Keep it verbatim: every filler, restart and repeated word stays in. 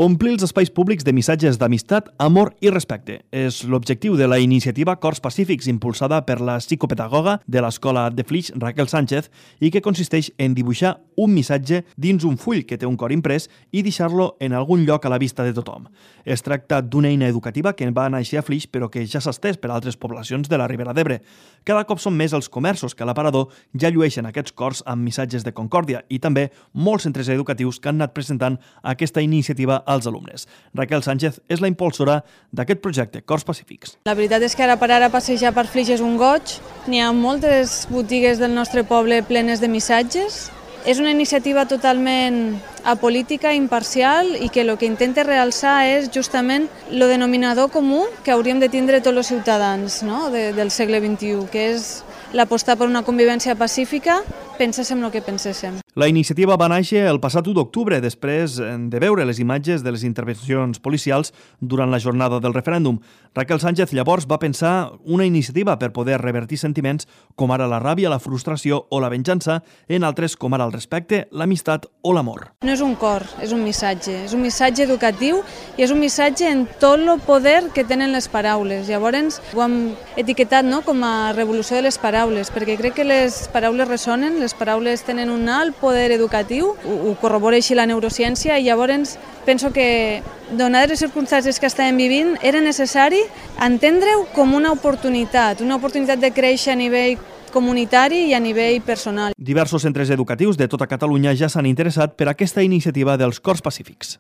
Omplir els espais públics de missatges d'amistat, amor i respecte és l'objectiu de la iniciativa Cors Pacífics impulsada per la psicopedagoga de l'Escola de Flix, Raquel Sánchez, i que consisteix en dibuixar un missatge dins un full que té un cor imprès i deixar-lo en algun lloc a la vista de tothom. Es tracta d'una eina educativa que va néixer a Flix però que ja s'ha estès per altres poblacions de la Ribera d'Ebre. Cada cop són més els comerços que a l'aparador ja llueixen aquests cors amb missatges de concòrdia i també molts centres educatius que han anat presentant aquesta iniciativa als alumnes. Raquel Sánchez és la impulsora d'aquest projecte, Cors Pacífics. La veritat és que ara per ara passejar per Flix és un goig. N'hi ha moltes botigues del nostre poble plenes de missatges. És una iniciativa totalment apolítica, imparcial i que el que intenta realçar és justament el denominador comú que hauríem de tindre tots els ciutadans, no? de, del segle vint-i-u, que és l'apostar per una convivència pacífica, penséssim el que penséssim. La iniciativa va néixer el passat u d'octubre, després de veure les imatges de les intervencions policials durant la jornada del referèndum. Raquel Sánchez llavors va pensar una iniciativa per poder revertir sentiments com ara la ràbia, la frustració o la venjança en altres com ara el respecte, l'amistat o l'amor. No és un cor, és un missatge. És un missatge educatiu i és un missatge en tot el poder que tenen les paraules. Llavors ho hem etiquetat no, com a revolució de les paraules, perquè crec que les paraules ressonen, les paraules tenen un alt poder educatiu, ho, ho corrobora així la neurociència, i llavors penso que, donades les circumstàncies que estàvem vivint, era necessari entendre-ho com una oportunitat, una oportunitat de créixer a nivell comunitari i a nivell personal. Diversos centres educatius de tota Catalunya ja s'han interessat per aquesta iniciativa dels Cors Pacífics.